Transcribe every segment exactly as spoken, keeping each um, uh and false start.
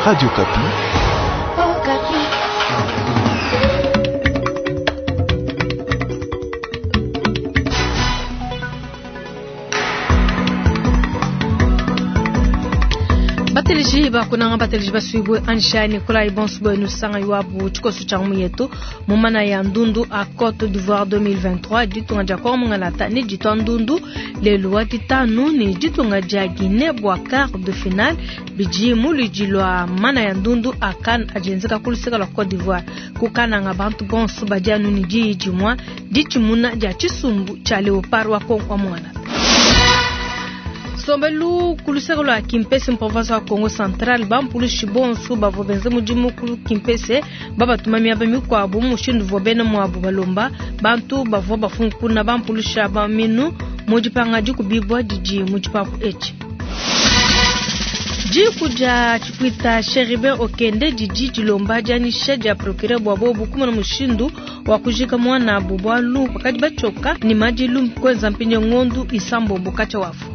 Radio Okapi. Bateleji bakunanga bateleji basuibwe ansha Nikolai Bonsubwe nusanga iwabu tshikoso tshia ngumu yetu mu mana ya ndundu a Côte d'Ivoire deux mille vingt-trois ditunga dia Kongo mungalata ni ditwa ndundu lelu wa ditanu ni ditunga dia Guinée bua quart de finale bidi muludi lua mana ya ndundu a CAN adienzeka ku luseka lua Côte d'Ivoire kukananga bantu bonso badi anu ni diyi dimua ditshimuna dia tshisumbu tshia Léopard wa Kongo mungalata. Sombelu kuluseka lwa Kimpese mu province wa Kongo Central bampulushi bonso bavua benze mudimu ku Kimpese babatuma miaba mikuabu mushindu uvua bena muabu balomba bantu bavua bafunkuna bampulusha ba minu mu dipanga dikubibwa didi mu tshipapu etshi. Diku dia tshikwita Chérubin Okende didi dilomba dianyisha dia procureur bua bobu kumona mushindu wa kujika mwanabu bualu bakadi batshioka ni madilu kwenza mpinye ngondu isambombo katshia wafu.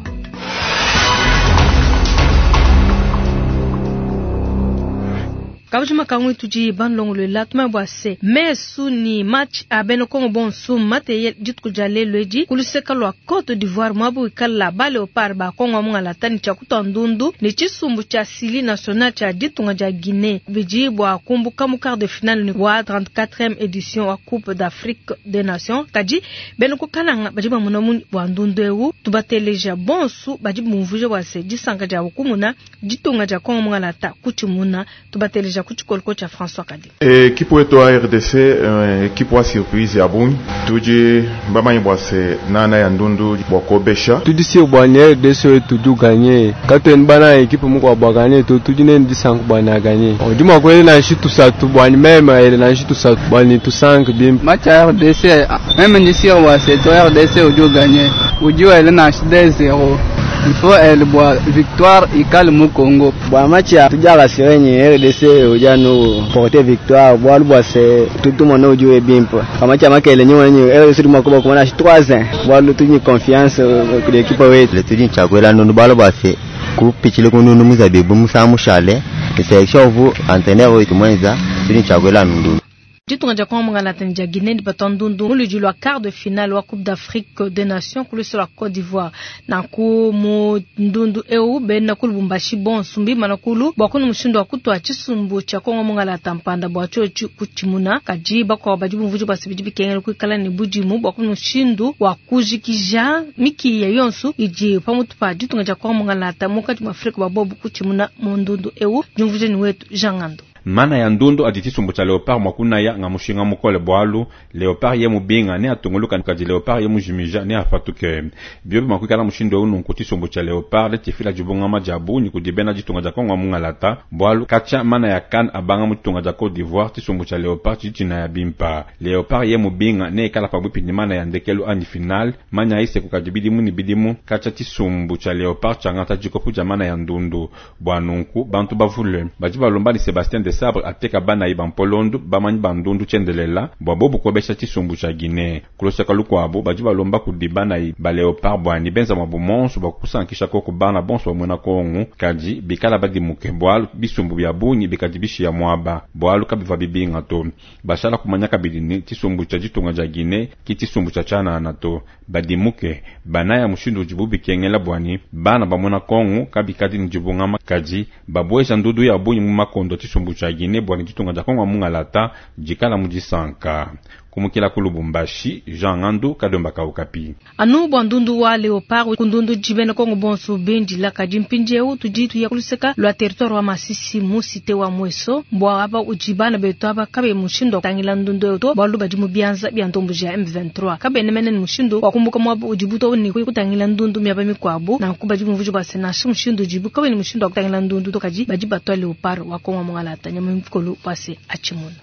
Kabujima kangwe tudi banlongolola tuma bua se mesu ni match a bena Kongo bonso mate dituku dia lelu edi kuluseka lua Côte d'Ivoire mwabu ikala ba Léopard ba Kongo mungalata ni tshia kutua ndundu ni tshisumbu tshia Syli national tshia ditunga dia Guinée bidi bua kumbuka mu quart de finale ni wa trente-quatrième édition wa Coupe d'Afrique des Nations kadi bena kukananga badi bamona mu bua ndundu eu tubateleja bonso badi bumvuja bua se disanka dia kumuna ditunga dia Kongo mungalata kutshimuna tubateleja kuchikoloko cha François Kadi. Equipe wetu wa R D C, equipe wa surprise ya bungi. Tudi bamanyi bwa se nana ya ndundu bwa kobesha. Tudi si bwa ni R D C wetu du gagner. Kato ni bana equipe mko bwa gagner to tudi ne ndi sanku bwa na gagner. Odi mwa kweli na shitu satu bwa ni meme ile na shitu satu bwa ni tu cinq bim. Match ya R D C, meme ndi si wa se to R D C udu gagner. Udu ile na deux zéro. Il faut elle boit victoire ikale mu Congo. Bwa match ya tujala sirenye R D C ujanu porter victoire bwa lubwa se tout le monde ujue bimpo. Kama match ya makele nyo nyo R D C mwa kuba kumana trois un. Bwa lu tunyi confiance ku l'équipe wetu. Le tunyi chakwela nunu balo bwa se kupichile kununu muzabibu musamushale. Selection vous entraîneur wetu mwenza tunyi chakwela nunu. Ditunga dia Kongo mungalata ni dia Guinée ni ndundu muludi lua quart de finale wa Coupe d'Afrique des Nations kulusi lua Côte d'Ivoire. Nanku mu ndundu eu bena ku Lubumbashi bonso mbimana kulu bua kunu mushindu wa kutua tshisumbu tshia Kongo mungalata mpanda bua tshiotshi kutshimuna kadi bakuabu badi bumvuja bua se bidi bikengela kuikala ne budimu bua kunu mushindu wa kujikija mikiya yonso idi pamutu pa ditunga dia Kongo mungalata munkatshi mua Afrika bua bobu kutshimuna mu ndundu eu. Diumvuja ni wetu Jean Ngando. Mana ya ndundu adi tshisumbu tshia Léopard mwakunaya nga mushinga mukole bwalu Léopard ye mubinga ne atunguluka kadi Léopard ye mujimija ne afatuke biobi makwikala mushindu eu nunku tshisumbu tshia Léopard le tifila dibungama dia bungi kudi bena ditunga dia Kongo mungalata bwalu katshia mana ya CAN abanga mu ditunga dia Côte d'Ivoire tshisumbu tshia Léopard tshidi tshina ya bimpa Léopard ye mubinga ne ekala pabuipi ni mana ya ndekelu anyi final manya ise kukadi bidimu ni bidimu katshia tshisumbu tshia Léopard tshangata dikopu dia mana ya ndundu bwa nunku bantu bavule badi balomba ni Sébastien de Sabre ateka bana iba mpolondu bamanyi bandundu tchendelela bwa bobu kobesha tshisumbu tshia Guinée kuloseka lukwabo badi balomba kudi bana iba Léopard bwani benza mwabu monso bwa kusankisha koko bana bonso bamwena kongu kadi bikala badimuke bwalu bisumbu bya bungi bikadi bishiya mwaba bwalu kabiva bibinga to bashala kumanya kabidi ni tshisumbu tshia ditunga dia Guinée ki tshisumbu tshia tshanana to badimuke banaya mushindu udibu bikengela bwani bana bamwena kongu kabikadi ni dibungama kadi babwesha ndudu ya bungi mu makondo tshisumbu tshia Guinée bwani ditunga dia Kongo mungalata dikala mu disanka kumukila ku Lubumbashi Jean Ngandu Kadomba Kaukapi. Anu bwa ndundu wa Léopard kundundu jibena Kongo bonso bendila kadi mpindieu tudi tuya kuluseka lwa territoire wa Masisi mu cité wa Mweso mbwa aba ujibana betu aba kabe mushindo tangila ndundu eto bwalu badi mu bianza bya ntombo ja M vingt-trois kabe nemene ni mushindo wa kumbuka mwa ujibuto ni kutangila ndundu miaba mikwabu na kuba jibu mvujo bwa sena mushindo jibu kabe ni mushindo wa kutangila ndundu to kadi badi batwa Léopard wa Kongo mungalata nyama mkolu pase achimuna.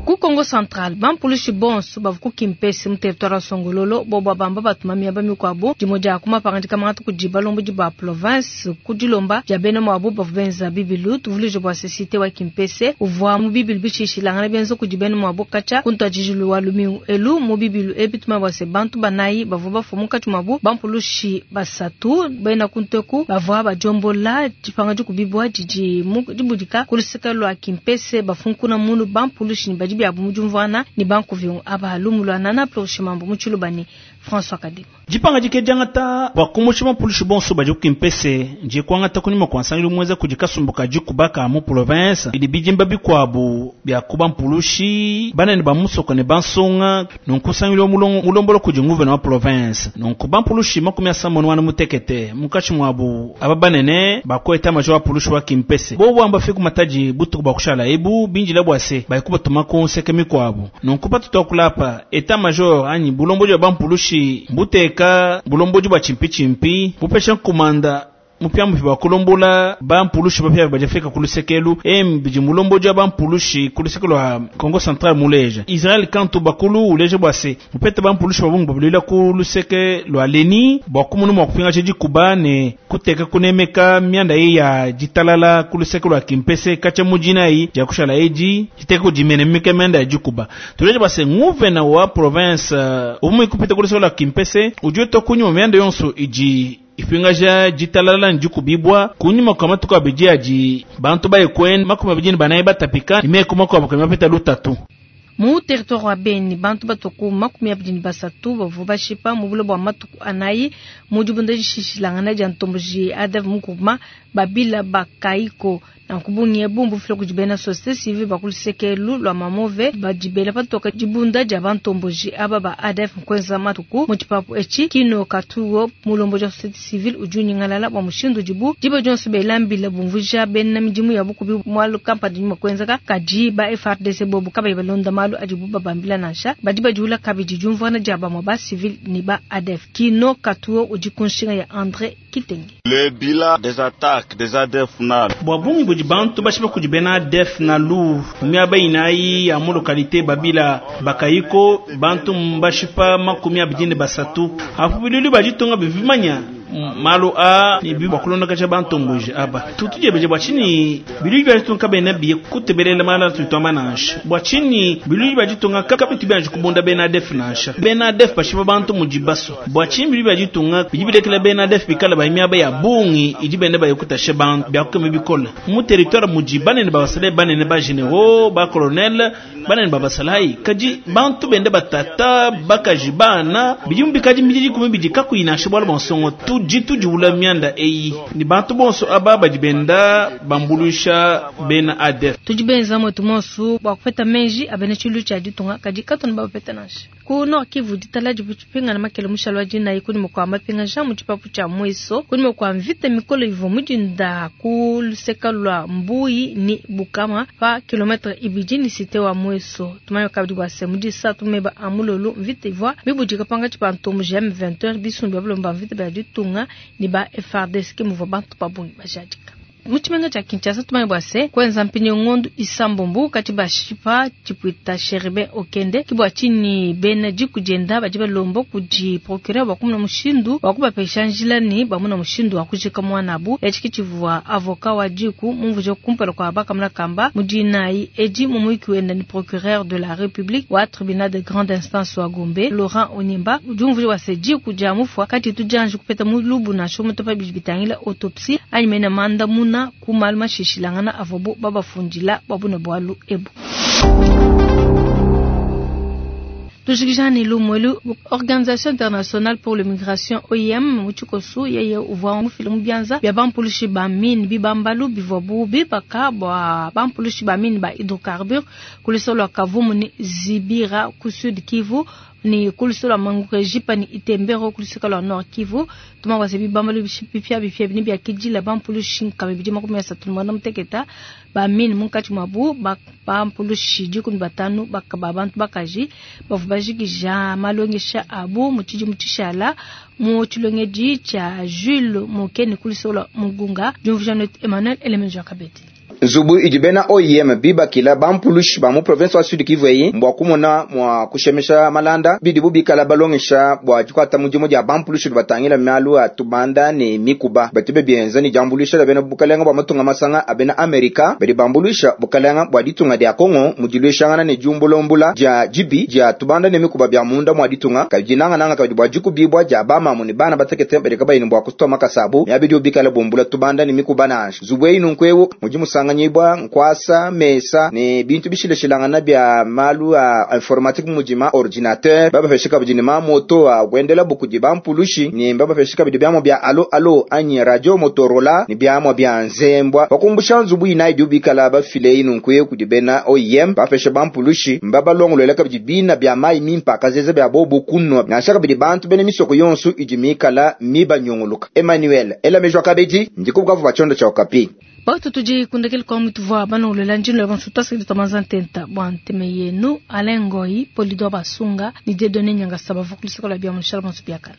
Ku Kongo Central, bampulushi bonso bavua ku Kimpese mu territoire wa Songololo bobo bamba batuma miaba mikuabu dimue dia ku mapangadika mangata kudi balombodi ba province ku dilomba dia bena muabu bavua benza bibilu. Tuvuluije bua cité wa Kimpese uvua mu bibilu bishishilangana benza kudi bena muabu katshia ku ntuadijilu wa lumingu elu. Mu bibilu ebi tuma bua se bantu banayi bavua bafua munkatshi muabu bampulushi basatu bena kunteku bavua badiombola dipanga dikubibua didi dibudika ku luseke lua Kimpese bafunkuna munu bampulushi ne badi biabu mu diumvuana ne bankuviungu aba lumu lua nana Plorchimambo mu Tshilubani François Kadima. Dipanga dike diangata bua kumusha bampulushi bonso badi ku Kimpese ndiye kuangata kunyima kua nsangilu muenza kudi kasumbu ka dikubaka mu province idi bidimba bikuabu bia kuba mpulushi banene ba musoko ne bansonga nunku nsangilu mulombolo kudi nguvena wa province nunku bampulushi makumi asambombo ne wana mutekete munkatshi muabu aba banene bakweta major wa pulushi wa Kimpese bobo amba fiku matadi butuku bua kushala ebu binjila bua se bayikubatuma ku nseke mikuabu nunku patutu kulapa état major anyi bulombodi bwa bampulushi mbuteka bulombodi bwa chimpi-chimpi bupesha nkumanda mupya bwa kulombola bampulushi bapya bajafika kulusekelu embidi mulombodi wa bampulushi kulusekelu wa Kongo Central muleja Israel Kantu bakulu uleja bwa se mupete bampulushi babungu babulila kuluseke lwa leni bwa kumunu mwa kupinga dikuba ne kuteka kunemeka mianda ye ya ditalala kuluseke lwa Kimpese kacha mujina yi ja kushala eji jiteka kujimenemeka mianda ya dikuba tuleja bwa se nguvena wa province uh, umwe kupita kuluseke lwa Kimpese ujue tokunyuma mianda yonso iji ipingaja ditalala ndikubibwa kunyuma kwa matuku abidi adi bantu bayekwenda makumi abidi ne banayi batapika imeko makuabu kamapeta lutatu. Mu territoire wa Beni bantu batoku makumi abidi ne basatu bavua bashipa mu bulo bua matuku anayi mu dibunda dishishilangana dia ntomboji A D F mukuma babila bakaiko nankubungi bumbu fila kudi bena société civile bakulusekelu lwa mamove badibela patoka dibunda dia bantomboji aba ba A D F nkwenza matuku mu tshipapu etshi kino katuo mulombo wa société civile udi unyingalala bua mushindu dibu diba dionso belambila bumvuja bena midimu ya bukubi mwalu kampani nyuma kwenzeka kadi ba F R D C bobu kabayi balonda malu adibu babambila nansha badi badiula kabidi diumvuana dia bamwe ba civil ni ba A D F kino katuo udi kunshinga ya André Kitenge. Le bilan des attaques des A D F na bua bungi budi bantu bashipa kudi bena A D F na lu miaba inayi ya mu localité babila bakayiko bantu mbashipa makumi abidi ne basatu apu bilulu baditunga bivimanya malu a ni bi bakulonda kacha bantomboji aba tutuje beje bwa chini bilulu baditunga bena biye kutebelela mala tutamba nansha bwa chini bilulu baditunga kabitu byanji kubunda bena A D F nansha bena A D F bashipa bantu mujibaso bwa chini bilulu baditunga bijibilekela bena A D F bikala ba miaba ya bungi idi bende bayikutashe bantu byakukeme bikola mu territoire mujibane ne babasale banene ba généraux ba colonel banene babasalai kaji bantu bende batata bakajibana bijimu bikaji mbiji kumibidi kakuyinashe bwala bonsongo tu jitu jiwula mianda eyi ni bantu bonso aba badibenda bambulusha bena A D F tujibenza mwetu monsu bwa kupeta menji abene chilu cha ditunga kadi katona bapeta nansha ku Nord Kivu ditala dibutupinga na makele mushalo wa dina ikuni mukwa mapinga ja mu tshipapu tshia mweso kuni mukwa mvita mikolo ivo mudinda ku luseka lwa Mbuyi ni Bukama pa kilometre ibidi ni cité wa mweso tumayo kabidi bwa se mudisa tumeba amulolo mvita ivwa mibudika panga tshipanto mu G M vingt bisumbi balomba mvita bya ditunga ni ba F R D C ke muvua bantu babungi bajadika Muchimenga cha Kinshasa tumaye bwase kwenza mpinyo ngondu isambombu kati bashipa chipuita Sherbe Okende kibwa chini bena jikujenda bajiba lombo kuji procureur wakumuna mushindu wakubapesha njila ni bamuna mushindu wakujika mwanabu echiki chivua avocat wa jiku mumvuje kumpela kwa baka mna kamba mujinai eji mumuiki wenda ni procureur de la République wa tribunal de grande instance wa Gombe Laurent Onyemba jumvuje wase jiku jamufwa kati tujanju kupeta mulubu na shomo topa bijibitangila autopsie anyimena manda muna kumalma shishilangana avobo baba fundila babuna bwalu ebu. Tujikijani lumwelu Organisation Internationale pour la Migration O I M muchikosu yeye uvwa mufilu mubyanza bya bampulushi ba mine bibambalu bivwa bubi baka bwa bampulushi ba mine ba hydrocarbure kulisolo kavumu ni Zibira ku Sud Kivu ni kulisolo mangurejipa ni Itembero kulisolo Nord Kivu tuma wase bibambalu bipya bipya bini bya kijila bampulushi nkame bidi makumi asatu na mwana muteketa ba mine munkatshi mwabu ba bampulushi dikumi batanu bakaba bantu bakaji bavu bajikija malongesha abu mutshidi mutshishala mu tshilongedi tshia Jules Mokene kulisolo Mugunga Jumvujanet Emmanuel Elemenjo Kabeti. Nzubu idi bena O I M bibakila bampulushi ba mu province wa Sud Kivu eyi mbua kumona mua kushemesha malanda bidibu bikala balongesha bua dikuata mudimu dia bampulushi batangila malu a tubanda ne mikuba. Batu bienza ne diambuluisha dia bena bukalenga bua matunga masanga a bena Amerika badi bambuluisha bukalenga bua ditunga dia Kongo mu diluishangana ne diumbulumbula dia dibi dia tubanda ne mikuba bia munda mua ditunga, kabidi nangananga kabidi bua dikubibua dia bamamu ne bana batekete badi kabayi ne bua kutua makasabu miabidi bikala bumbula tubanda ne mikuba. Nansha nzubu eyi nunku ewu mudi musanganyibwa nkwasa, mesa ne bintu bishilashilangana bia malu a informatique, mudima ordinateur, babapesha kabidi ne mamoto a kuendela bukudi bampulushi, ne babapesha kabidi biamua bia alo alo anyi radio Motorola ne biamua bia nzembwa. Pakumbusha nzubu inayi idi bikala bafile eyi nunku ewu kudi bena O I M bapesha bampulushi, mbabalongolwela kabidi bina bia mai mimpa akazeza bia bobu kunwa, nansha kabidi bantu bena misoko yonso idi mikala mibanyunguluka. Emmanuel Elamejwa kabidi ndikubukavu ba tshiondo tshia Okapi. Batu tudi kundekele kwa mutuvua banolola njino ya bantu tasiki tamaza ntenta bwa nteme yenu Alain Ngoi Polidor Basunga ni Dieudonné Nyangasa bavukulisaka la bia mushala bantu biakana.